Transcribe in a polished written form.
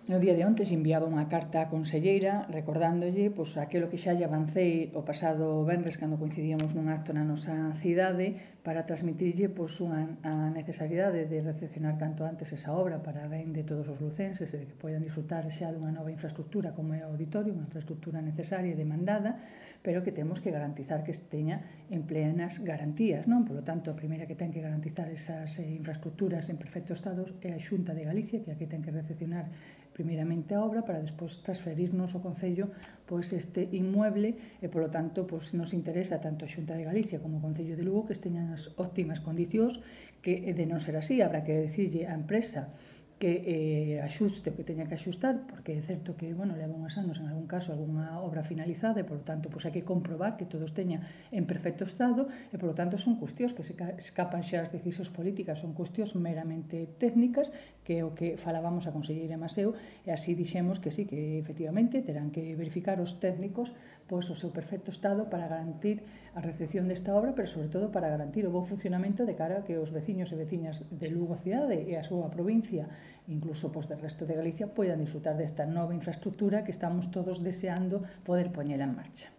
No día de onte se enviaba unha carta á conselleira recordándolle aquilo que xa lle avancei o pasado venres cando coincidíamos nun acto na nosa cidade para transmitirlle a necesariedade de recepcionar canto antes esa obra para ben de todos os lucenses e de que poidan disfrutar xa dunha nova infraestructura como é o auditorio, unha infraestructura necesaria e demandada, pero que temos que garantizar que esteña en plenas garantías, non? Por lo tanto, a primeira que ten que garantizar esas infraestructuras en perfecto estado é a Xunta de Galicia, que é a que ten que recepcionar primeiramente a obra para despois transferirnos ao Concello este inmueble e, polo tanto, nos interesa tanto a Xunta de Galicia como o Concello de Lugo que esteñan as óptimas condicións, que de non ser así habrá que decirlle á empresa que axuste o que teña que axustar, porque é certo que, leva unhas anos, en algún caso, algunha obra finalizada, e, polo tanto, hai que comprobar que todo esteña en perfecto estado, e, polo tanto, son cuestións que se escapan xa as decisións políticas, son cuestións meramente técnicas, que é o que falábamos a conselleira Maseu, e así dixemos que sí, que efectivamente terán que verificar os técnicos o seu perfecto estado para garantir a recepción desta obra, pero sobre todo para garantir o bo funcionamento de cara a que os veciños e veciñas de Lugo cidade e a súa provincia, incluso del resto de Galicia, poidan disfrutar desta nova infraestructura que estamos todos deseando poder poñela en marcha.